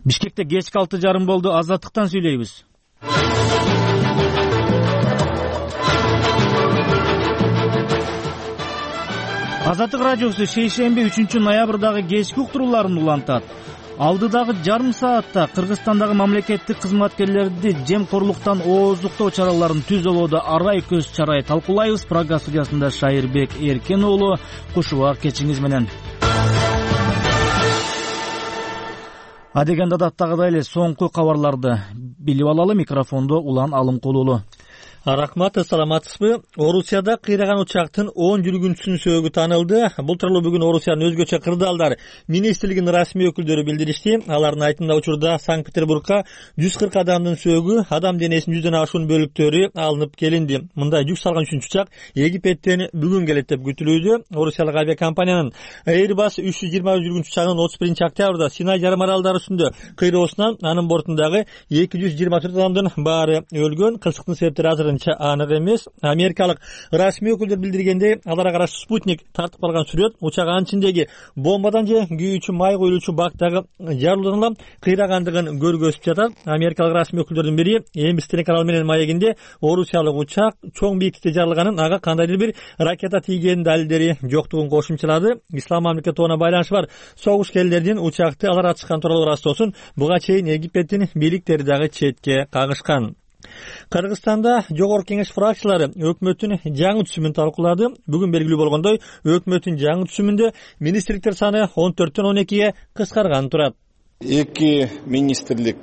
Бишкекте кечки 6:30 болду. Азаттыктан сүйлөйбүз. Азаттык радиосу шейшемби 3-ноябрдагы кечки уктурууларын улантат. Алдыдагы жарым саатта Кыргызстандагы мамлекеттик кызматкерлерди жемкорлуктан ооздуктоо чараларын түзөлүүдө арай көз чарай талкуулайбыз. Программа студиясында Шайырбек Эркен уулу. Кушубак кечиңиз менен. Адегенде адаттагыдай эле соңку кабарларды билип алалы. Микрофондо Улан Алымкулуулу. Рахмат, саламатсызбы? Орусияда кыйраган учактын 10 жүргүнчүсүнүн сөөгү таанылды. Бул тууралуу бүгүн Орусиянын өзгөчө кырдаалдар министрлигинин расмий өкүлдөрү билдиришти. Алардын айтымында учурда Санкт-Петербургка 140 адамдын сөөгү, адам денесинин 100дөн ашуун бөлүктөрү алынып келинди. Мындай жүк салган 3-үчү учак Египтен бүгүн келет деп күтүлүүдө. Орусиялык авиакомпаниянын Airbus 320 жүргүнчү учагынын 31 октябрда Синай жарым аралдары үстүндө кыйроосунан анын бортундагы 224 адамдын баары өлгөн. Кырсыктын себептери азыр анык эмес. Америкалык расмий өкүлдөр билдиргендей, аларга каршы спутник тартып калган сүрөт учак ичиндеги бомбадан же күйүүчү май коюлуучу бактагы жарылуудан кыйрагандыгын көргөзүп жатат. Америкалык расмий өкүлдөрдүн бири эмбистен канал менен маегинде Орусиялык учак чоң бийиктикте жарылганын, ага кандайдыр бир ракета тийгенин далилдери жоктугун кошумчалады. Ислам мамлекетине байланышы бар согушкерлердин учакты алар ачышкан тууралуу растоосун буга чейин Египтин бийликтери дагы четке кагышкан. Кыргызстанда жогорку кеңеш фракциялары өкмөттүн жаңы түзүмүн талкуулады. Бүгүн белгилүү болгондой, өкмөттүн жаңы түзүмүндө министрликтер саны 14төн 12ге кыскарганы турат. Эки министрлик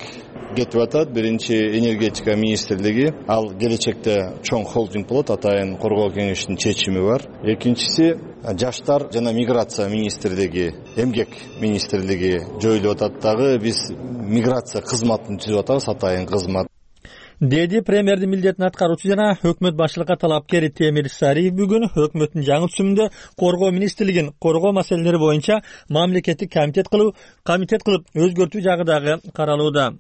кетип атат. Биринчи энергетика министрлиги, ал келечекте чоң холдинг болот, атайын коргоо кеңештин чечими бар. Экинчиси жаштар жана миграция министрлиги, эмгек министрлиги жоюлуп атат. Дагы биз миграция кызматын түзүп атабыз, атайын кызмат, деди премьердин милдетин аткаруучу жана өкмөт башчылыкка талапкер Темир Сариев. Бүгүн өкмөттүн жаңы түзүмүндө коргоо министрлигин коргоо маселелери боюнча мамлекеттик комитет кылып өзгөртүү жагы дагы каралууда.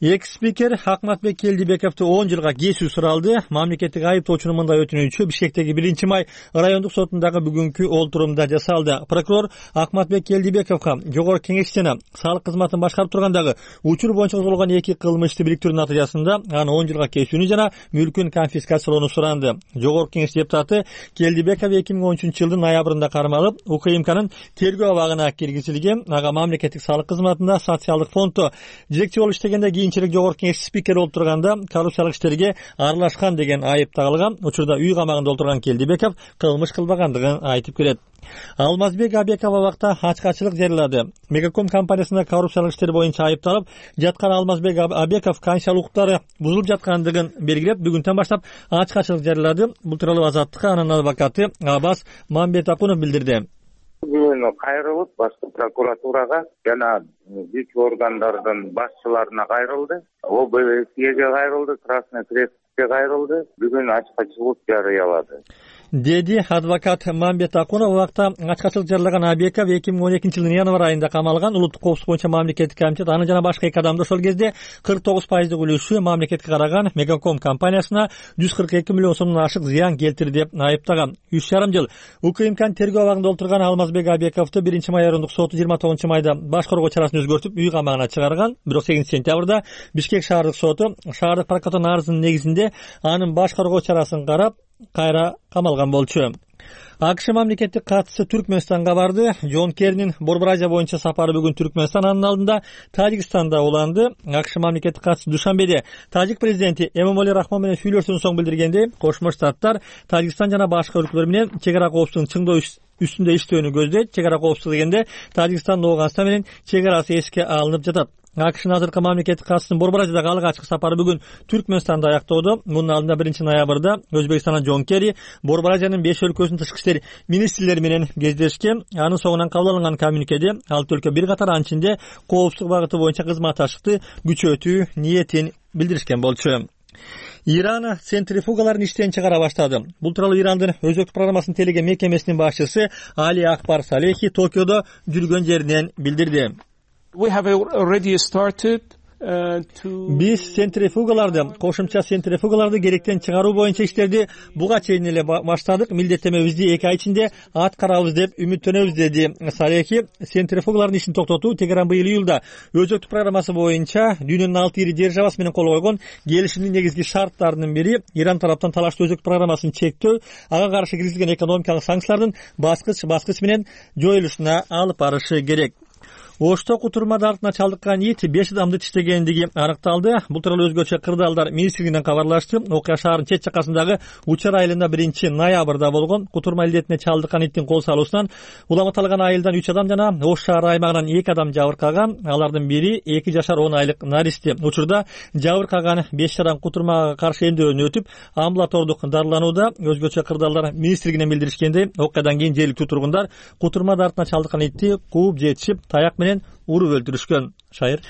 Экс-спикер Акматбек Келдибековду 10 жылга кесүү суралды. Мамлекеттик айыптоочунун мындай өтүнүчү Бишкектеги 1-май райондук сотундагы бүгүнкү олтурумда жасалды. Прокурор Акматбек Келдибековго жогорку кеңеш жана салык кызматын башкарып тургандагы учур боюнча козголгон 2 кылмышты бириктирүү натыйжасында аны 10 жылга кесүүнү жана мүлкүн конфискациялоону суранды. Жогорку кеңеш депутаты Келдибеков 2013-жылдын ноябрында кармалып, УКМКнын тергөө абагына киргизилген. Ага мамлекеттик салык кызматында социалдык фонддо жетекчи болуп иштегенде кийинчерээк жогорку кеңеш спикери болуп турганда коррупциялык иштерге аралашкан деген айып тагылган. Учурда үй камагында отурган Келдибеков кылмыш кылбагандыгын айтып келет. Алмазбек Абеков абакта ачкачылык жарыялады. Мегаком компаниясында коррупциялык иштер боюнча айыпталып жаткан Алмазбек Абеков канчалык укуктары бузулуп жаткандыгын белгилеп, бүгүнтөн баштап ачкачылык жарыялады. Бул тууралуу Азаттыкка анын адвокаты Абас Мамбетакунов билдирди. Бүгүн кайрылып башкы прокуратурага жана күч органдардын башчыларына кайрылды. ОБСЕге кайрылды, Красный Крестке кайрылды. Бүгүн ачкачылык жарыялады, деди адвокат Мамбет Акунов. Убакта ачкачылык жарылаган Абеков 2012-жылдын январь айында камалган. Улуттук коопсуздук боюнча мамлекеттик комитет аны жана башка 2 адамды ошол кезде 49% үлүшү мамлекетке караган Мегаком компаниясына 142 миллион сомдон ашык зыян келтирди деп айыптаган. 3,5 жыл УКМКнын тергөө абагында отурган Алмазбек Абековду 1-май райондук соту 29-майда баш коргоо чарасын өзгөртүп үй камагына чыгарган. Бирок 8-сентябрда Бишкек шаардык соту шаардык прокуратуранын арызынын негизинде анын баш коргоо чарасын карап кайра камалган болчу. АКШ мамлекеттик катчысы Түркмөнстанга барды. Джон Керринин Борбор Азия боюнча сапары бүгүн Түркмөнстан, анын алдында Тажикстанда уланды. АКШ мамлекеттик катчысы Душанбеде Тажик президенти Эмомали Рахмон менен сүйлөшүүнүн соң билдиргендей, Кошмо Штаттар Тажикстан жана башка өлкөлөр менен чек ара коопсуздугун чыңдоо үстүндө иштөөнү көздөйт. Чек ара коопсуздугу дегенде Тажикстан Ооганстан менен чек арасы эске алынып жатат. АКШнын азыркы мамлекеттик катчысынын Борбор Азиядагы алгачкы сапары бүгүн Түркмөнстанда аяктоодо. Мунун алдында 1-ноябрда Өзбекстандан Джон Керри Борбор Азиянын 5 өлкөсүнүн тышкы иштер министрлери менен кездешкен. Анын соңунан кабыл алынган коммюникеде алты өлкө бир катар анын ичинде коопсуздук багыты боюнча кызматташтыкты күчөтүү ниетин билдиришкен болчу. Иран центрифугаларын иштен чыгара баштады. Бул тууралуу Ирандын өзөктүк программасын телеген мекемесинин башчысы Али Акбар Салехи Токиодо жүргөн жеринен билдирди. We have already started Биз центрифугаларды, кошумча центрифугаларды керектен чыгаруу боюнча иштерди буга чейин эле баштадык. Милдеттемебизди 2 ай ичинде аткарабыз деп үмүттөнөбүз, деди Салехи. Центрифугалардын ишин токтотуу Тегеран быйыл июлда өзөктүк программасы боюнча дүйнөнүн 6 ири державасы менен кол койгон келишимдин негизги шарттарынын бири Иран тараптан талаштуу өзөктүк программасын чектөө, ага каршы киргизилген экономикалык санкциялардын баскыч менен жоюлушуна алып барышы керек. Ошто кутурма дартына чалдыккан ит 5 адамды тиштегендиги аныкталды. Бул тууралуу өзгөчө кырдаалдар министрлигинен кабарлашты. Окуя шаардын чет жакасындагы Учар айылында 1-ноябрда болгон. Кутурма илдетине чалдыккан иттин кол салуусунан уламаталган айылдан 3 адам жана Ош шаары аймагынан 2 адам жабыркаган. Алардын бири 2 жашар 10 айлык наристи. Учурда жабыркаган 5 адам кутурмага каршы эмдөөнү өтүп, амбулатордук дарыланууда. Өзгөчө кырдаалдар министрлигинен билдиришкендей, окуядан кийин жергиликтүү тургундар кутурма дартына чалдыккан итти кууп жетишип, таяк менен уруп өлтүрүшкөн. Шайыр.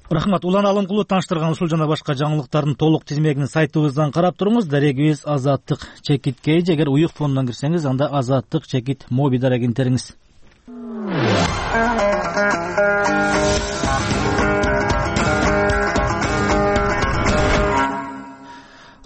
Рахмат. Улан Алымкулов тааныштырган ушул жана башка жаңылыктардын толук тизмегин сайтыбыздан карап туруңуз. Дарегибиз Азаттык чекит кейж. Эгер уюк фондон кирсеңиз, анда Азаттык чекит моби дарегин териңиз.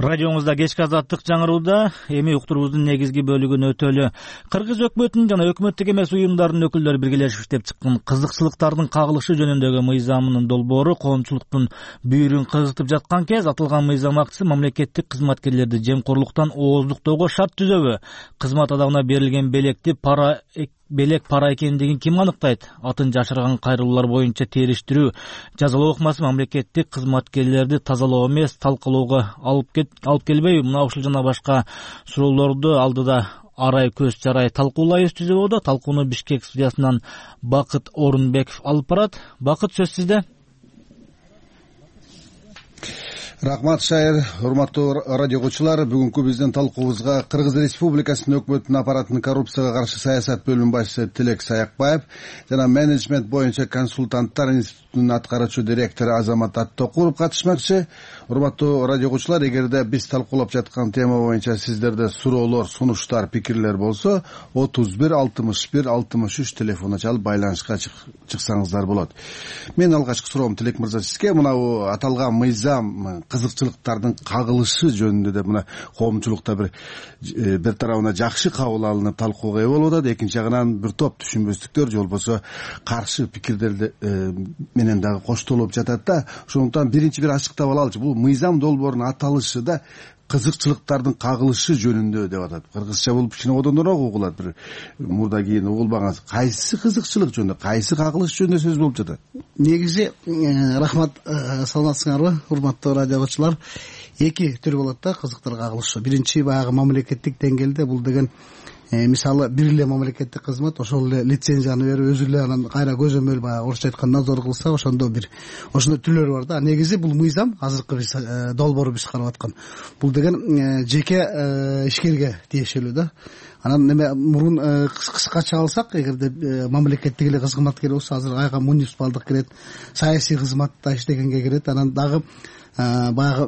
Радиоңузда кечки Азаттык жаңырууда. Эми уктуруубуздун негизги бөлүгүн өтөлү. Кыргыз өкмөтүнүн жана өкмөттүк эмес уюмдардын өкүлдөрү биргелешип иштеп чыккан кызыкчылыктардын кагылышы жөнүндөгү мыйзамынын долбоору коомчулуктун бүйүрүн кызытып жаткан кез, аталган мыйзам актысы мамлекеттик кызматкерлерди жемкорлуктан ооздуктоого шарт түзөбү? Кызмат адамына берилген белек пара экендигин ким аныктайт? Атын жашырган кайрылуулар боюнча териштирүү, жазалоо ыкмасы мамлекеттик кызматкерлерди тазалоо эмес, талкалоого алып келбейби? Мына ушул жана башка суроолорду алдыда арай көз жарай талкуулайбыз түзөбөдө. Талкууну Бишкек студиясынан Бакыт Орунбеков алып барат. Бакыт, сөз сизде. Рахмат, Шайыр. Урматтуу радио угуучулар, бүгүнкү биздин талкуубузга Кыргыз Республикасынын өкмөтүнүн аппаратынын коррупцияга каршы саясат бөлүм башчысы Тилек Саякбаев жана менеджмент боюнча консультанттар институтунун аткаруучу директору Азамат Аттокуров катышмакчы. Урматтуу радио угуучулар, эгерде биз талкуулап жаткан тема боюнча сиздерде суроолор, сунуштар, пикирлер болсо 31 61 63 телефонуна чалып байланышка чыксаңыздар болот. Мен алгачкы суроом Тилек мырза сизге. Мына аталган мыйзам кызыкчылыктардын кагылышы жөнүндө да мына коомчулукта бир тарабына жакшы кабыл алынып талкууга ээ болуп атат, экинчи жагынан бир топ түшүнбөстүктөр же болбосо каршы пикирлер менен дагы коштолуп жатат да. Ошондуктан биринчи бир ачыктап алалычы. Бул мыйзам долбоорунун аталышы да кызыкчылыктардын кагылышы жөнүндө деп атат. Кыргызча болуп кичине одондороок угулат. Бир мурда кийин угулбаган кайсы кызыкчылык жөнүндө, кайсы кагылыш жөнүндө сөз болуп жатат? Негизи рахмат, саламатсыңарбы урматтуу радио угуучулар? Эки түр болот да кызыктар кагылышы. Биринчи баягы мамлекеттик деңгээлде, бул деген мисалы бир эле мамлекеттик кызмат ошол эле лицензияны берип өзү эле анан кайра көзөмөл баягы орусча айтканда надзор кылса, ошондо бир ошондой түрлөр бар да. Негизи бул мыйзам азыркы биз долбоору биз карап аткан. Бул деген жеке ишкерге тиешелүү да. Анан неме мурун кыскача алсак, эгерде мамлекеттик эле кызматкер болсо, азыр айга муниципалдык кирет, саясий кызматта иштегенге кирет. Анан дагы баягы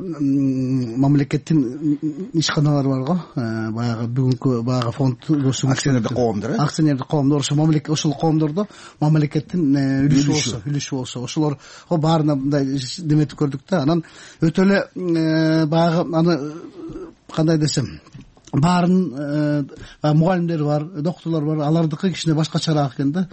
мамлекеттин ишканалары бар го, баягы бүгүнкү баягы фонд акционердик коомдор, акционердик коомдор, ошол коомдордо мамлекеттин үлүшү болсо, ошолор баарына мындай деметип көрдүк да. Анан өтө эле баягы аны кандай десем, баарын мугалимдер бар, доктурлар бар, алардыкы кичине башкачараак экен да.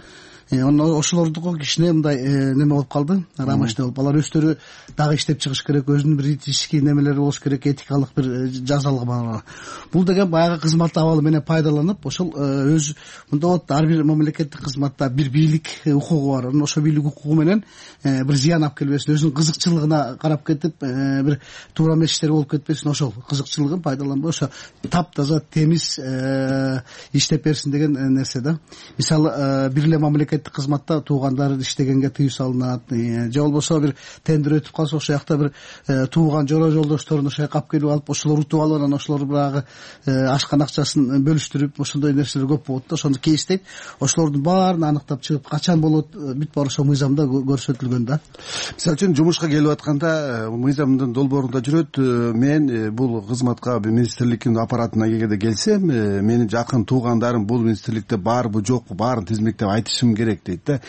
Ошолордуку кичине мындай неме болуп калды, рамочный болуп. Алар өздөрү дагы иштеп чыгыш керек, өзүнүн бир этический немелери болуш керек, этикалык бир жазалыгы бар. Бул деген баягы кызмат абалы менен пайдаланып, ошол өз мындай болот, ар бир мамлекеттик кызматта бир бийлик укугу бар. Ошол бийлик укугу менен бир зыян алып келбесин, өзүнүн кызыкчылыгына карап кетип, бир туура эмес иштер болуп кетпесин, ошол кызыкчылыгын пайдаланбай, ошо таптаза темиз иштеп берсин деген нерсе да. Мисалы бир эле мамлекеттик кызматта туугандар иштегенге тыюу салынат, же болбосо бир тендер өтүп калса, ошол жакта бир тууган жора жолдошторун ошол жака алып келип алып, ошолор утуп алып, анан ошолор баягы ашкан акчасын бөлүштүрүп, ошондой нерселер көп болот да. Ошону кейстейт, ошолордун баарын аныктап чыгып, качан болот, бүт баары ошол мыйзамда көрсөтүлгөн да. Мисалы үчүн жумушка келип атканда мыйзамдын долбоорунда жүрөт, мен бул кызматка министрликтин аппаратына эгерде келсем, менин жакын туугандарым бул министрликте барбы жокпу, баарын тизмектеп айтышым керек керек дейт да.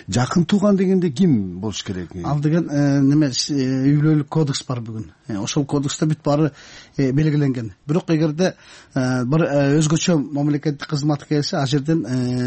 Жакын тууган дегенде ким болуш керек? Ал деген неме үй бүлөлүк кодекс бар бүгүн. Ошол кодексте бүт баары белгиленген. Бирок эгерде бир өзгөчө мамлекеттик кызмат келсе, ал жерден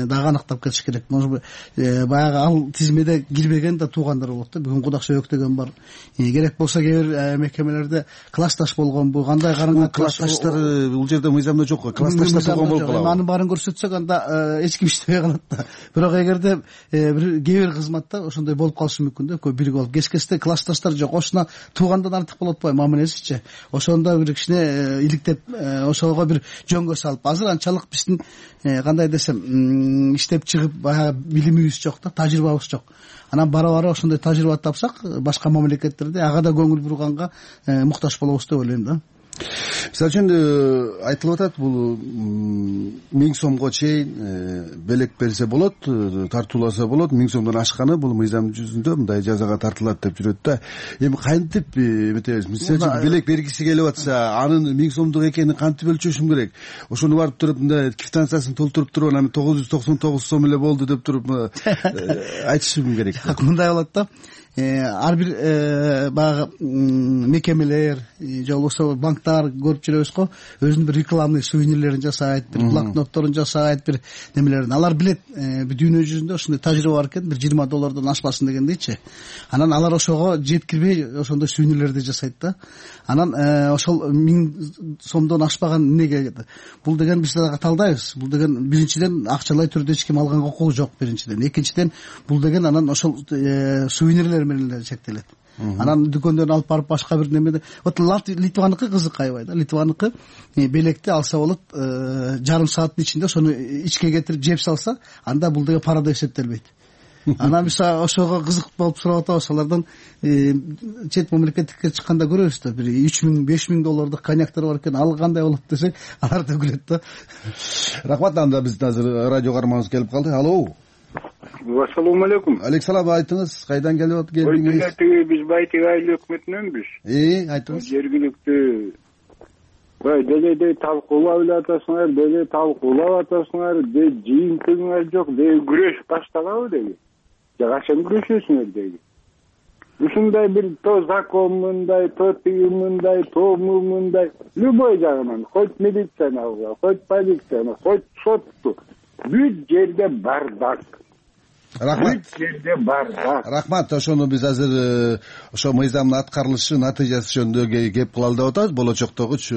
дагы аныктап кетиш керек. Баягы ал тизмеде кирбеген да туугандар болот да. Бүгүн кудак сөбөк деген бар. Керек болсо кээ бир мекемелерде классташ болгонбу, кандай карынга классташтар бул жерде мыйзамда жок. Классташтар болгон болуп калат. Анын баарын көрсөтсөк, анда эч ким иштебей калат да. Бирок эгерде кээ бир кызматта ошондой болуп калышы мүмкүн да. Көп бирге болуп кескесте классташтар жок. Ошоно туугандан артык болот атпайбы мамилесичи? Ошондо бир кичине иликтеп, ошого бир жөнгө салып, азыр анчалык биздин кандай десем, иштеп чыгып баягы билимибиз жок да, тажрыйбабыз жок. Анан бара ошондой тажрыйба тапсак, башка мамлекеттерде ага да көңүл бурганга муктаж болобуз деп ойлойм да. Мисалы үчүн айтылып атат, бул 1000 сомго чейин белек берсе болот, тартууласа болот, 1000 сомдон ашканы бул мыйзам жүзүндө мындай жазага тартылат деп жүрөт да. Эми кантип эметебиз? Мисалы үчүн белек бергиси келип атса, анын 1000 сомдук экенин кантип өлчөшүм керек? Ошону барып туруп мындай квитанциясын толтуруп туруп, анан 999 сом эле болду деп туруп айтышым керек. Мындай болот да. Ар бир баягы мекемелер же болбосо банктар көрүп жүрөбүз го, өзүнүн бир рекламный сувенирлерин жасайт, бир блокнотторун жасайт, бир немелерин. Алар билет дүйнө жүзүндө ошондой тажрыйба бар экен, бир $20 ашпасын дегендейчи. Анан алар ошого жеткирбей ошондой сувенирлерди жасайт да. Анан ошол 1000 сомдон ашпаган эмнеге? Бул деген биз дагы талдайбыз. Бул деген биринчиден акчалай түрдө эч ким алганга укугу жок, биринчиден. Экинчиден бул деген анан ошол сувенирлер менен эле чектелет. Анан дүкөндөн алып барып башка бир немеде. Вот Литваныкы кызык аябай да. Литваныкы белекти алса болот, жарым сааттын ичинде ошону ичке кетирип жеп салса, анда бул деген парада эсептелбейт. Анан биз ошого кызык болуп сурап атабыз. Алардан чет мамлекетке чыкканда көрөбүз да, бир $3000-5000 коньяктар бар экен, ал кандай болот десек, алар да күлөт да. Рахмат. Анда биздин азыр радио каарманыбыз келип калды. Алло. Ассаламу алейкум. Алейкум, айтыңыз, кайдан келдиңиз? Биз Байтек айыл өкмөтүнөнбүз. Айтыңыз. Жергиликтүү деле талкуулап эле атасыңар, деле талкуулап атасыңар, жыйынтыгыңар жок, күрөш баштагабы деги. Же качан күрөшөсүңөр деги. Ушундай бир то закон мындай, то тиги мындай, то мындай, любой жагынан, хоть милицияны, хоть полицияны, хоть сотту, бүт жерде бардак. Рахмат. Рахмат. Ошону биз азыр ошо мыйзамдын аткарылышы натыйжасы жөнүндө кеп кылалы деп атабыз. Болочоктогучу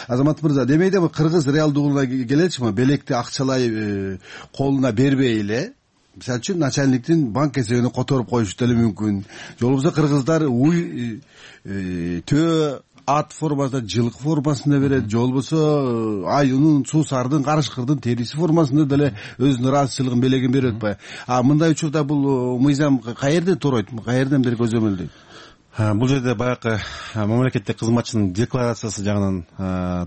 Азамат мырза, демейде кыргыз реалдуулугуна келечи, белекти акчалай колуна бербей эле, мисалы үчүн начальниктин банк эсебине которуп коюшу деле мүмкүн. Же болбосо кыргыздар уй төө ат формасында, жылкы формасында берет, же болбосо аюнун, суусардын, карышкырдын териси формасында деле өзүнүн ыраазычылыгын белегин берип атпайбы? Мындай учурда бул мыйзам каерден туройт, каерден бери көзөмөлдөйт? Бул жерде баягы мамлекеттик кызматчынын декларациясы жагынан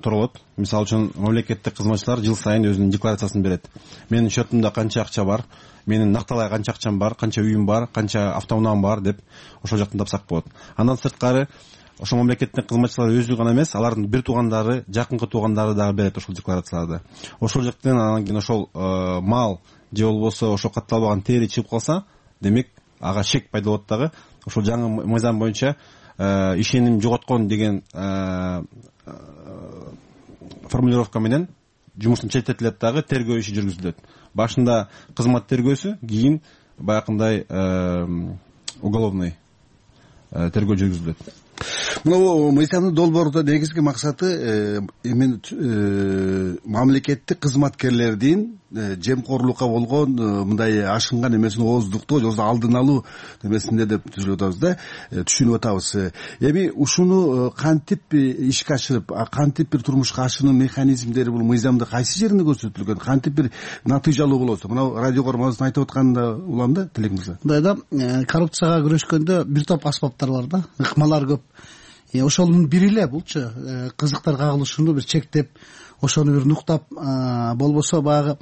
туралат. Мисалы үчүн мамлекеттик кызматчылар жыл сайын өзүнүн декларациясын берет. Менин счетумда канча акча бар, менин накталай канча акчам бар, канча үйүм бар, канча автоунаам бар деп ошол жактан тапсак болот. Андан сырткары ошо мамлекеттик кызматчылар өзү гана эмес, алардын бир туугандары, жакынкы туугандары дагы берет ошол декларацияларды. Ошол жактан анан кийин ошол мал же болбосо ошо катталбаган тери чыгып калса, демек ага шек пайда болот дагы. Ошол жаңы мыйзам боюнча ишеним жоготкон деген формулировка менен жумуштан четтетилет дагы, тергөө иши жүргүзүлөт. Башында кызмат тергөөсү, кийин баягындай уголовный тергөө жүргүзүлөт. Мына мыйзамдын долбоорунда негизги максаты мамлекеттик кызматкерлердин жемкорлукка болгон мындай ашынган эмесин ооздуктоо, же алдын алуу эмесинде деп түшүнүп атабыз. Эми ушуну кантип ишке ашырып, кантип бир турмушка ашыруу механизмдери бул мыйзамда кайсы жеринде көрсөтүлгөн, кантип бир натыйжалуу болосу? Мына радио көрмөбүздүн айтып атканында улам да, Тилек мырза. Мындай да, коррупцияга күрөшкөндө бир топ аспаптар бар да, ыкмалар көп. Ошонун бири эле булчу кызыктар кагылышууну бир чектеп, ошону бир нуктап, болбосо баягы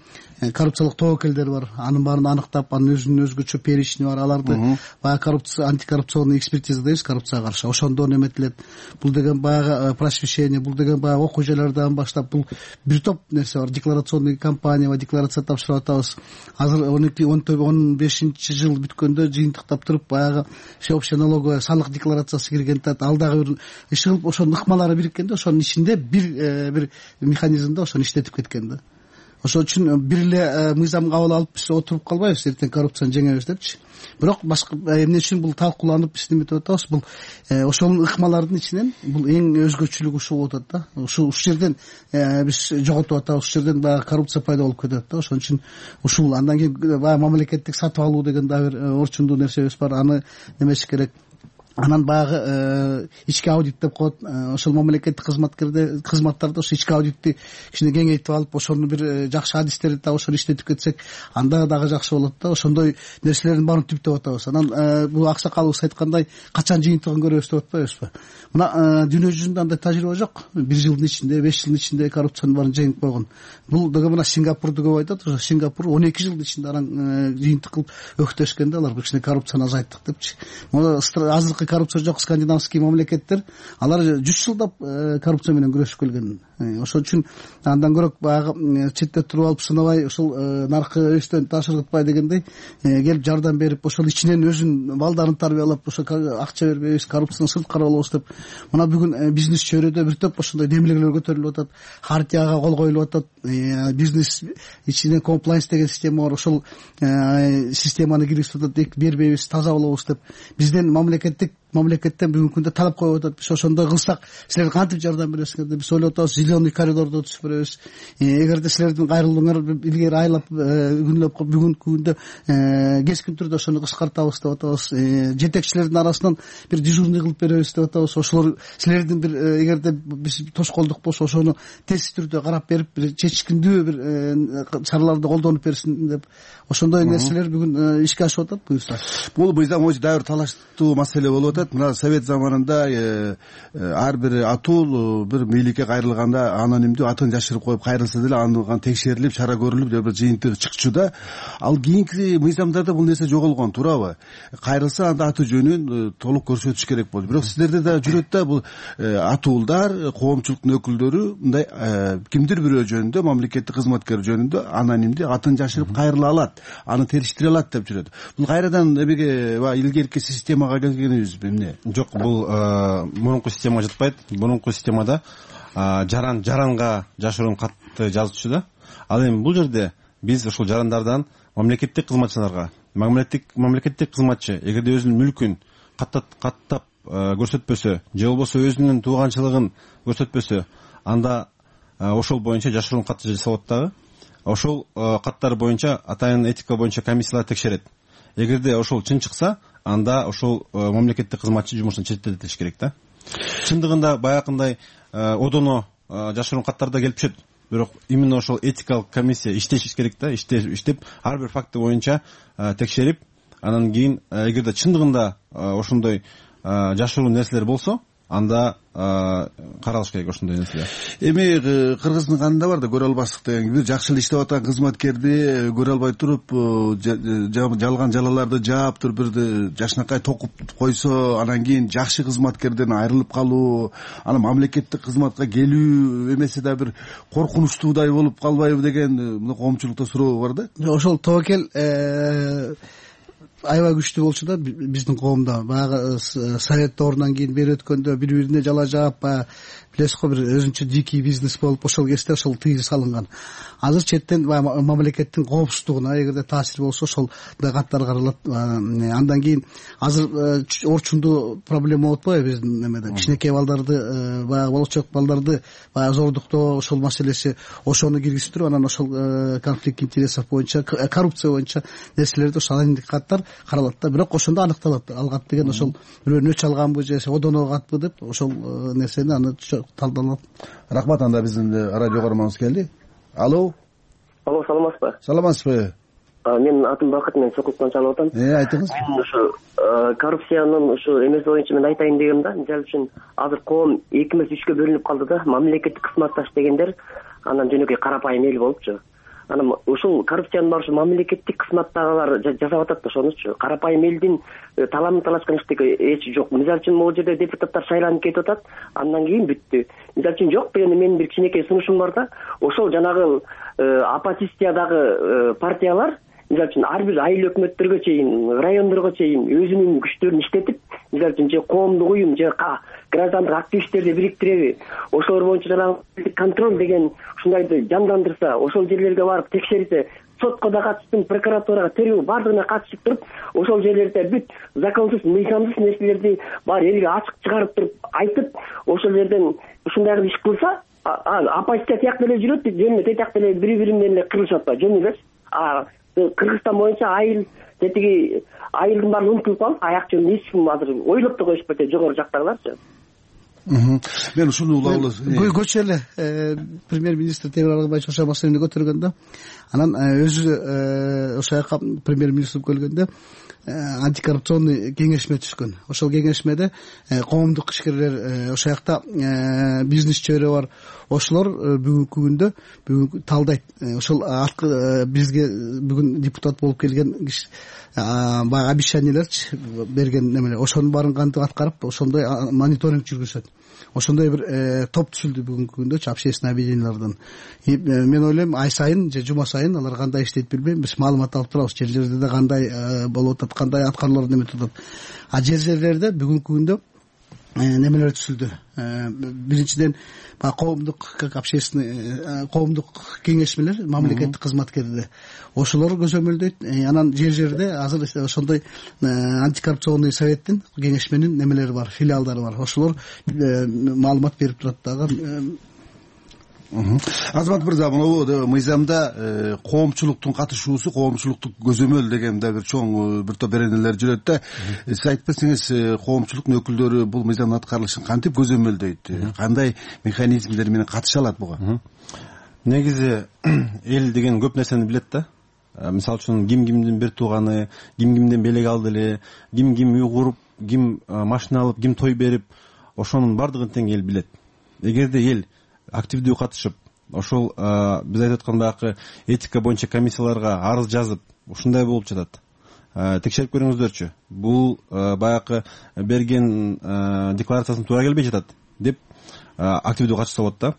коррупциялык тобокелдер бар, анын баарын аныктап, анын өзүнүн өзгөчө перечини бар, аларды баягы антикоррупционный экспертиза дейбиз, коррупцияга каршы, ошондон эметилет. Бул деген баягы просвещение, бул деген баягы окуу жайлардан баштап, бул бир топ нерсе бар. Декларационный кампания, декларация тапшырып атабыз. Азыр 15-жыл бүткөндө жыйынтыктап туруп, баягы всеобщая налоговая салык декларациясы кирген, ал дагы бир иш кылып, ошонун ыкмалары бириккенде, ошонун ичинде бир механизмде ошону иштетип кеткен да. Ошол үчүн бир эле мыйзам кабыл алып биз отуруп калбайбыз, эртең коррупцияны жеңебиз депчи. Бирок башка эмне үчүн бул талкууланып биз неметип атабыз, бул ошол ыкмалардын ичинен бул эң өзгөчөлүгү ушул болуп атат да. Ушул жерден биз жоготуп атабыз, ушул жерден баягы коррупция пайда болуп кетет да. Ошон үчүн ушул андан кийин баягы мамлекеттик сатып алуу деген дагы бир орчундуу нерсебиз бар, аны немеш керек. Анан баягы ички аудит деп коет, ошол мамлекеттик кызматтарды ошо ички аудитти кичине кеңейтип алып, ошону бир жакшы адистерди таап ошону иштетип кетсек, анда дагы жакшы болот да. Ошондой нерселердин баарын түптөп атабыз. Анан бул аксакалыбыз айткандай, качан жыйынтыгын көрөбүз деп атпайбызбы? Мына дүйнө жүзүндө андай тажрыйба жок. 1 жылдын ичинде, 5 жылдын ичинде коррупциянын баарын жеңип койгон. Бул деген мына Сингапурду көп айтат. Ошо Сингапур 12 жылдын ичинде анан жыйынтык кылып өктөшкөн да, алар кичине коррупцияны азайттык депчи. Азыркы коррупция жок скандинавский мамлекеттер, алар 100 жылдап коррупция менен күрөшүп келген. Ошол үчүн андан көрөк баягы четте туруп алып сынабай, ошол наркы өстөн ташыргытпай дегендей келип жардам берип, ошол ичинен өзүнүн балдарын тарбиялап, ошо акча бербейбиз, коррупцияны сырткары болобуз деп. Мына бүгүн бизнес чөйрөдө бир топ ошондой демилгелер көтөрүлүп атат, хартияга кол коюлуп атат. Бизнес ичинен комплайнс деген система бар, ошол системаны киргизип атат, бербейбиз, таза болобуз деп. Бизден мамлекеттен бүгүнкү күндө талап коюп атат. Биз ошондой кылсак, силер кантип жардам бересиңер деп биз ойлоп атабыз. Зеленый коридорду түзүп беребиз. Эгерде силердин кайрылууңар илгери айлап күнлөп бүгүнкү күндө кескин түрдө ошону кыскартабыз деп атабыз. Жетекчилердин арасынан бир дежурный кылып беребиз деп атабыз. Ошолор силердин бир эгерде биз тоскоолдук болсо, ошону тез түрдө карап берип, бир чечкиндүү бир чараларды колдонуп берсин деп. Ошондой нерселер бүгүн ишке ашып атат буюрса. Бул мыйзам өзү дагы бир талаштуу маселе болуп атат. Мына совет заманында ар бир атул бир бийликке кайрылганда анонимдүү атын жашырып коюп кайрылса деле аны текшерилип, чара көрүлүп, бир жыйынтыгы чыкчу да. Ал кийинки мыйзамдарда бул нерсе жоголгон, туурабы? Кайрылса анда аты жөнүн толук көрсөтүш керек болду. Бирок сиздерде да жүрөт да бул атуулдар, коомчулуктун өкүлдөрү мындай кимдир бирөө жөнүндө, мамлекеттик кызматкер жөнүндө анонимдүү атын жашырып кайрыла алат, аны териштире алат деп жүрөт. Бул кайрадан эбеге илгерки системага келгенибизби эмне? Жок, бул мурунку системага жатпайт. Мурунку системада жаранга жашыруун катты жазчу да. Ал эми бул жерде биз ошол жарандардан мамлекеттик кызматчыларга, мамлекеттик кызматчы эгерде өзүнүн мүлкүн каттап көрсөтпөсө же болбосо өзүнүн тууганчылыгын көрсөтпөсө, анда ошол боюнча жашыруун катты жасалат дагы. Ошол каттар боюнча атайын этика боюнча комиссиялар текшерет. Эгерде ошол чын чыкса, анда ошол мамлекеттик кызматчы жумуштан четтетилиш керек да. Чындыгында баягындай одоно жашыруун каттарда келип түшөт. Бирок именно ошол этикалык комиссия иштеш керек да, иштеп ар бир факты боюнча текшерип, анан кийин эгерде чындыгында ошондой жашыруун нерселер болсо, анда каралыш керек ошондой нерселер. Эми кыргыздын канында бар да, көрө албастык деген, бир жакшы эле иштеп аткан кызматкерди көрө албай туруп, жалган жалаларды жаап туруп бир жашынакай токуп койсо, анан кийин жакшы кызматкерден айрылып калуу, анан мамлекеттик кызматка келүү эмесе да бир коркунучтуудай болуп калбайбы деген коомчулукта суроо бар да. Ошол тобокел аябай күчтүү болчу да биздин коомдо. Баягы совет доорунан кийин бери өткөндө бири-бирине жала жаап, баягы билесиз го, бир өзүнчө дикий бизнес болуп, ошол кезде ошол тыйыз салынган. Азыр четтен мамлекеттин коопсуздугуна эгерде таасир болсо, ошол каттар каралат. Андан кийин азыр орчундуу проблема болуп атпайбы биздин немеде? Кичинекей балдарды, баягы болочок балдарды баягы зордуктоо, ошол маселеси, ошону киргизип туруп, анан ошол конфликт интересов боюнча, коррупция боюнча нерселерди ошол анонимдик каттар каралат да. Бирок ошондо аныкталат. Ал кат деген ошол бирөөнүн өч алганбы же одоно катпы деп, ошол нерсени аны талдалат. Рахмат. Анда биздин радио көрөрманыбыз келди. Алло, саламатсызбы? Саламатсызбы? Менин атым Бакыт, мен Сокулуктан чалып атам. Айтыңыз. Мен ушу коррупциянын ушу эмеси боюнча мен айтайын дегем да. Мисалы үчүн азыр коом 2 эмес 3кө бөлүнүп калды да. Мамлекеттик кызматташ дегендер анан жөнөкөй карапайым эл болупчу. Анан ушул коррупциянын баары ушул мамлекеттик кызматтагылар жасап атат да ошонучу. Карапайым элдин таламын талашкан иштеги эч жок. Мисалы үчүн могул жерде депутаттар шайланып кетип атат, андан кийин бүттү. Мисалы үчүн жок дегенде менин бир кичинекей сунушум бар да, ошол жанагы оппозициядагы партиялар мисалы үчүн ар бир айыл өкмөттөргө чейин, райондорго чейин өзүнүн күчтөрүн иштетип, мисалы үчүн же коомдук уюм же граждандык активисттерди бириктиреби, ошолор боюнча жанагы контроль деген ушундайды жандандырса, ошол жерлерге барып текшерсе, сотко да катыштым, прокуратурага, тергөө бардыгына катышып туруп, ошол жерлерде бүт законсуз, мыйзамсыз нерселерди баары элге ачык чыгарып туруп айтып, ошол жерден ушундай иш кылса, оппозиция тиякта эле жүрөт, жөн эле тиякта эле бири менен эле кырылышып атпайбы, жөн эле. Кыргызстан боюнча айыл тетиги айылдын баары унутулуп калып, аяк жөнүн эч ким азыр ойлоп да коюшпайт, жогору жактагыларчы. Мен ушуну улам көчө эле премьер-министр Темир Аргабаевич ошол маселени көтөргөндө, анан өзү ошол жака премьер-министр келгенде антикоррупционный кеңешме түшкөн. Ошол кеңешмеде коомдук ишкерлер, ошол жакта бизнес чөйрө бар, ошолор бүгүнкү күндө бүгүн талдайт. Ошол бизге бүгүн депутат болуп келген баягы обещаниялерчи берген немелер, ошонун баарын кантип аткарып, ошондой мониторинг жүргүзөт. Ошондой бир топ түзүлдү бүгүнкү күндө общественный объединениялардан. Мен ойлойм, ай сайын же жума сайын алар кандай иштейт билбейм, биз маалымат алып турабыз, жерлерде кандай болуп атат, кандай аткаруулар неметип атат. Жерлерде бүгүнкү күндө немелер түзүлдү. Биринчиден коомдук общественный коомдук кеңешмелер, мамлекеттик кызматкерлер ошолор көзөмөлдөйт. Анан жерде азыр ошондой антикоррупционный советтин кеңешменин немелери бар, филиалдары бар. Ошолор маалымат берип турат дагы. Азамат мырза, могу мыйзамда коомчулуктун катышуусу, коомчулуктук көзөмөл деген да бир чоң бир топ беренелер жүрөт да. Сиз айтып берсеңиз, коомчулуктун өкүлдөрү бул мыйзамдын аткарылышын кантип көзөмөлдөйт? Кандай механизмдер менен катыша алат буга? Негизи эл деген көп нерсени билет да. Мисалы үчүн кимдин бир тууганы, кимден белек алды эле, ким үй куруп, ким машина алып, ким той берип, ошонун бардыгын тең эл билет. Эгерде эл активдүү катышып, ошол биз айтып аткан баягы этика боюнча комиссияларга арыз жазып, ушундай болуп жатат. Текшерип көрүңүздөрчү. Бул баягы берген декларациясын туура келбей жатат деп активдүү катышса болот да.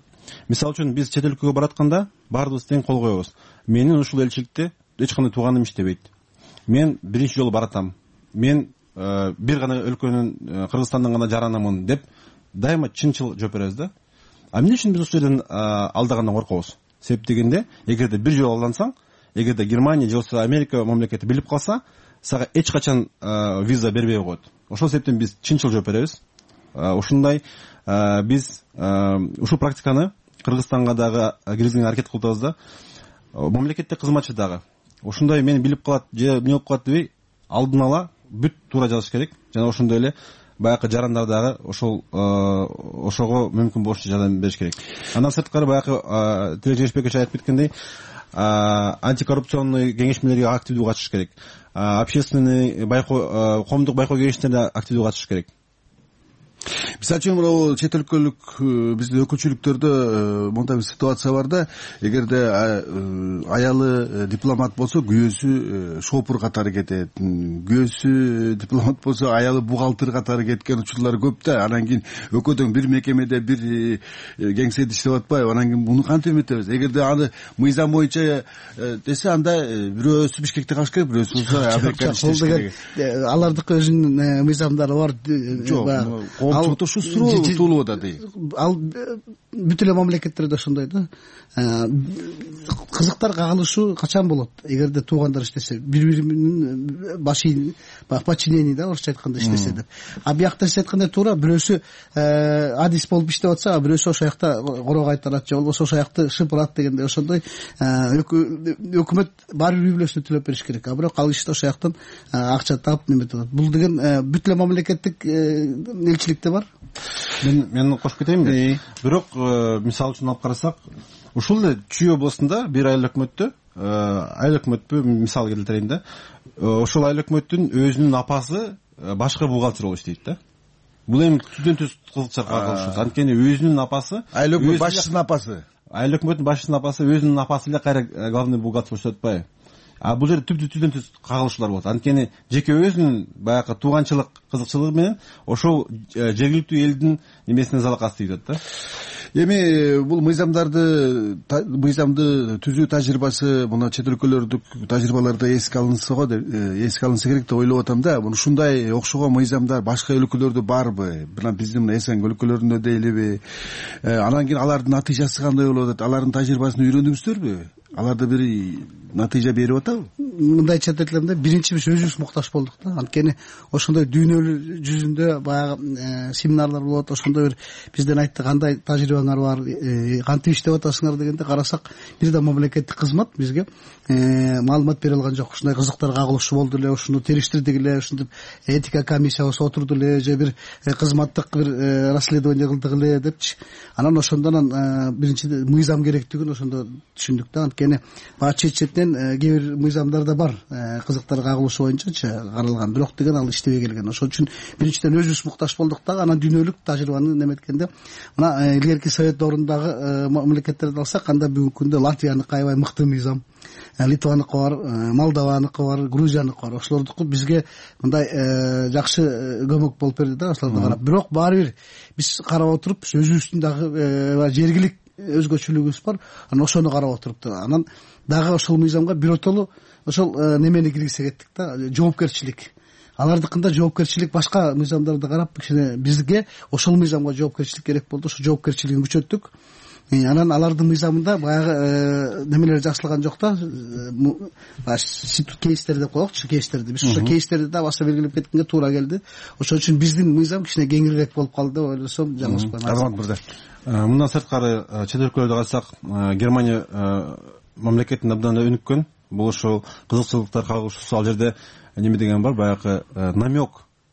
Мисалы үчүн биз чет өлкөгө баратканда баардыгыбыз тең кол коебуз. Менин ушул элчиликте эч кандай тууганым иштебейт. Мен биринчи жолу баратам. Мен бир гана өлкөнүн Кыргызстандан гана жаранамын деп дайыма чынчыл жооп беребиз да. Эмне үчүн биз ушул жерден алдагандан коркобуз? Себеп дегенде, эгерде бир жолу алдансаң, эгерде Германия же болбосо Америка мамлекети билип калса, сага эч качан виза бербей коет. Ошол себептен биз чынчыл жооп беребиз. Ушундай биз ушул практиканы Кыргызстанга дагы киргизгенге аракет кылып атабыз да. Мамлекеттик кызматчы дагы ушундай мени билип калат же эмне болуп калат дебей, алдын ала бүт туура жазыш керек. Жана ошондой эле баягы жарандар дагы ошого мүмкүн болушунча жардам бериш керек. Андан сырткары баягы Тилек Жеңишбекович айтып кеткендей, антикоррупционный кеңешмелерге активдүү катышыш керек. Общественный коомдук байкоо кеңештерине активдүү катышыш керек. Мисалы үчүн чет өлкөлүк биздин өкүлчүлүктөрдө мындай бир ситуация бар да, эгерде аялы дипломат болсо, күйөөсү шопур катары кетет, күйөөсү дипломат болсо, аялы бухгалтер катары кеткен учурлар көп да. Анан кийин экөөдөн бир мекемеде, бир кеңседе иштеп атпайбы? Анан кийин муну кантип эметебиз? Эгерде аны мыйзам боюнча десе, анда бирөөсү Бишкекте калыш керек, бирөөсү Америкада иштеш керек. Алардыкы өзүнүн мыйзамдары бар. Жок, коомчулукта ушу суроо да дейт. Ал бүт эле мамлекеттерде ошондой да. Кызыктар кагылышуу качан болот? Эгерде туугандар иштесе, бири-биринин подчинение да, орусча айтканда иштесе деп. Биякта сиз айткандай туура, бирөөсү адис болуп иштеп атса, бирөөсү ошол жакта короо кайтарат же болбосо ошол жакты шыпырат дегендей, ошондой өкмөт баары бир үй бүлөсүнө төлөп бериш керек. Бирок ал иште ошол жактан акча таап неметип атат. Бул деген бүт эле мамлекеттик элчиликте бар. Мен кошуп кетейинби? Бирок мисалы үчүн алып карасак, ушул эле Чүй областында бир айыл өкмөттө, айыл өкмөтпү мисал келтирейин да. Ошол айыл өкмөттүн өзүнүн апасы башкы бухгалтер болуп иштейт да. Бул эми түздөн түз кызыкча кагылыш. Анткени өзүнүн апасы, айыл өкмөт башчысынын апасы. айыл өкмөтүнүн башчысынын апасы өзүнүн апасы эле кайра главный бухгалтер болуп атпайбы? А бул жерде түздөн түз кагылышуулар болот. Анткени жеке өзүнүн баягы тууганчылык кызыкчылыгы менен ошол жергиликтүү элдин немесине залакасы тийип атат да. Эми бул мыйзамды түзүү тажрыйбасы мына чет өлкөлөрдүк тажрыйбаларда эске алынса керек деп ойлоп атам да. Ушундай окшогон мыйзамдар башка өлкөлөрдө барбы? Мына биздин мына СНГ өлкөлөрүндө дейлиби? Анан кийин алардын натыйжасы кандай болуп атат? Алардын тажрыйбасын үйрөндүңүздөрбү? Аларда бир натыйжа берип атабы? Мындайча айтып элем да, биринчи биз өзүбүз муктаж болдук да. Анткени ошондой дүйнөлүү жүзүндө баягы семинарлар болот, ошондо бир бизден айтты кандай тажрыйбаңар бар, кантип иштеп атасыңар дегенде карасак, бир да мамлекеттик кызмат бизге маалымат бере алган жок. Ушундай кызыктар кагылышы болду эле, ушуну териштирдик эле, ушинтип этика комиссиябыз отурду эле, же бир кызматтык бир расследование кылдык эле депчи. Анан ошондон биринчи мыйзам керектигин ошондо түшүндүк да. Анткени баягы четинен кээ бир мыйзамдар да бар, кызыктар кагылышы боюнчачы каралган, бирок деген ал иштебей келген. Ошон үчүн биринчиден өзүбүз муктаж болдук да. Анан дүйнөлүк тажрыйбаны неметкенде мына илгерки совет доорундагы мамлекеттерди алсак, анда бүгүнкү күндө Латвияныкы аябай мыкты мыйзам, Литваныкы бар, Молдованыкы бар, Грузияныкы бар. Ошолордуку бизге мындай жакшы көмөк болуп берди да, ошолорду карап. Бирок баары бир биз карап отуруп өзүбүздүн дагы жергилик өзгөчөлүгүбүз бар. Анан ошону карап отуруп анан дагы ошол мыйзамга биротоло ошол немени киргизе кеттик да, жоопкерчилик. Алардыкында жоопкерчилик башка мыйзамдарды карап кичине бизге ошол мыйзамга жоопкерчилик керек болду. Ошо жоопкерчилигин күчөттүк. Анан алардын мыйзамында баягы немелер жазылган жок да, кейстер деп коелукчу, кейстерди. Биз ошо кейстерди да баса белгилеп кеткенге туура келди. Ошон үчүн биздин мыйзам кичине кеңирээк болуп калды деп ойлосом жаңылышпайм. Азамат мырза, мындан сырткары чет өлкөлөрдө карасак, Германия мамлекетинде абдан өнүккөн. Бул ошол кызыкчылыктар кагылышуусу, ал жерде неме деген бар, баягы намек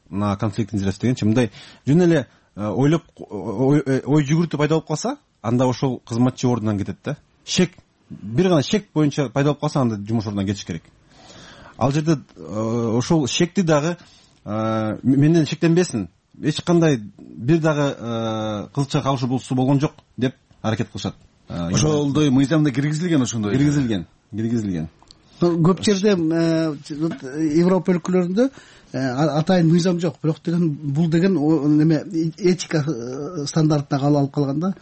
на конфликт интересов дегенчи, мындай жөн эле ойлоп ой жүгүртүү пайда болуп калса, анда ошол кызматчы ордунан кетет да. Шек, бир гана шек боюнча пайда болуп калса, анда жумуш ордунан кетиш керек. Ал жерде ошол шекти дагы менден шектенбесин, эч кандай бир дагы кызыкча кагылышуу болгон жок деп аракет кылышат. Ошолдой мыйзамда киргизилген, ошондой киргизилген. Көп жерде Европа өлкөлөрүндө атайын мыйзам жок, бирок деген бул деген неме этика стандартына алып калган да.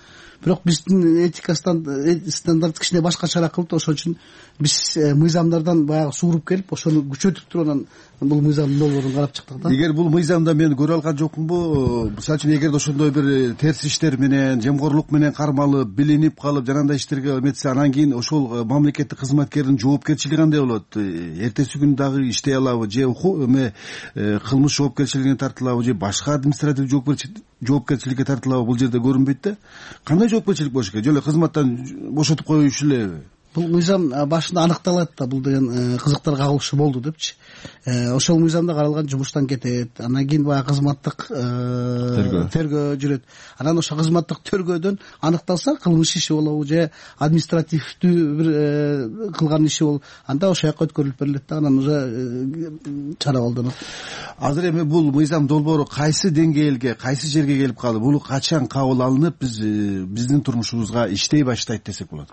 Бирок биздин этика стандарт кичине башкачараак кылып, ошон үчүн биз мыйзамдардан баягы сууруп келип, ошону күчөтүп туруп анан бул мыйзамдын долбоорун карап чыктык да. Эгер бул мыйзамда мен көрө алган жокмунбу, мисалы үчүн эгерде ошондой бир терс иштер менен, жемкорлук менен кармалып, билинип калып, жанагындай иштерге эметсе, анан кийин ошол мамлекеттик кызматкердин жоопкерчилиги кандай болот? Эртеси күнү дагы иштей алабы, же кылмыш жоопкерчилигине тартылабы, же башка административ жоопкерчиликке тартылабы, бул жерде көрүнбөйт да. Кандай жоопкерчилик болуш керек? Жөн эле кызматтан бошотуп коюшу элеби? Бул мыйзам башында аныкталат да, бул деген кызыктар кагылышы болду депчи. Ошол мыйзамда каралган жумуштан кетет. Анан кийин баягы кызматтык тергөө жүрөт. Анан ошо кызматтык тергөөдөн аныкталса, кылмыш иши болобу же административдүү бир кылган иши болобу, анда ошол жака өткөрүлүп берилет да, анан уже чара колдонот. Азыр эми бул мыйзам долбоору кайсы деңгээлге, кайсы жерге келип калды? Бул качан кабыл алынып, биздин турмушубузга иштей баштайт десек болот?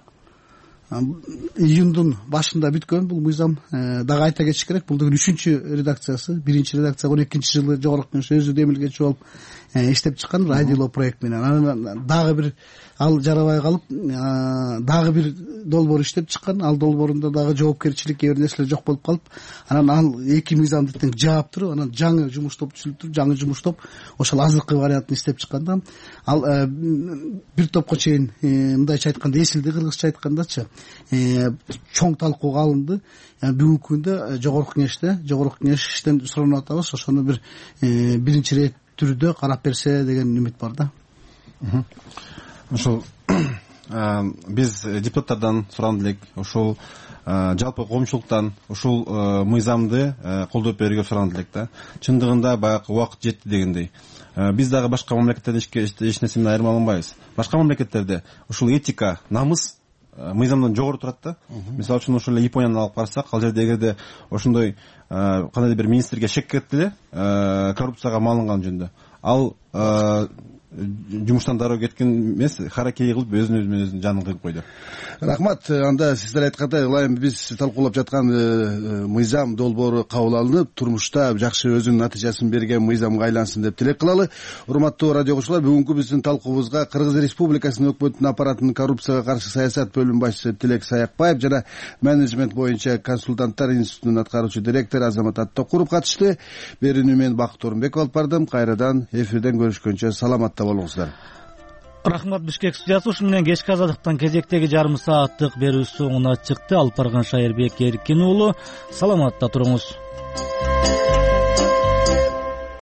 Июндун башында бүткөн бул мыйзам. Дагы айта кетиш керек, бул деген 3-чү редакциясы. Биринчи редакция 12-жылы жогорку кеңеш өзү демилгечи болуп иштеп чыккан радиоло проект менен. Анан дагы бир ал жарабай калып, дагы бир долбоор иштеп чыккан. Ал долбоорунда дагы жоопкерчилик кээ бир нерселер жок болуп калып, анан ал эки мыйзамды тең жаап туруп, анан жаңы жумуш топ түзүлүп туруп, жаңы жумуш топ ошол азыркы вариантын иштеп чыкканда, ал бир топко чейин мындайча айтканда эсилди, кыргызча айткандачы, чоң талкууга алынды. Бүгүнкү күндө жогорку кеңештен суранып атабыз, ошону бир биринчи рет түрдө карап берсе деген үмүт бар да. Ошол биз депутаттардан сураган элек, ошол жалпы коомчулуктан ушул мыйзамды колдоп берүүгө сураган элек да. Чындыгында баягы убакыт жетти дегендей. Биз дагы башка мамлекеттерден эч нерсе менен айырмаланбайбыз. Башка мамлекеттерде ушул этика, намыс мыйзамдан жогору турат да. Мисалы үчүн ошол эле Японияны алып карасак, ал жерде эгерде ошондой кандайдыр бир министрге шек кетти эле коррупцияга малынган жөнүндө, ал жумуштан дароо кеткен эмес, харакири кылып өзүнүн жанын кыйып койду. Рахмат. Анда сиздер айткандай ылайым биз талкуулап жаткан мыйзам долбоору кабыл алынып, турмушта жакшы өзүнүн натыйжасын берген мыйзамга айлансын деп тилек кылалы. Урматтуу радио угуучулар, бүгүнкү биздин талкуубузга Кыргыз Республикасынын өкмөтүнүн аппаратынын коррупцияга каршы саясат бөлүм башчысы Тилек Саякбаев жана менеджмент боюнча консультанттар институтунун аткаруучу директору Азамат Аттокуров катышты. Берүүнү мен Бакыт Орунбеков алып бардым. Кайрадан эфирден көрүшкөнчө саламатта болуңуздар. Рахмат. Бишкек студиясы ушу менен кечки азаттыктан кезектеги жарым сааттык берүү соңуна чыкты. Алып барган Шайырбек Эркин уулу. Саламатта туруңуз.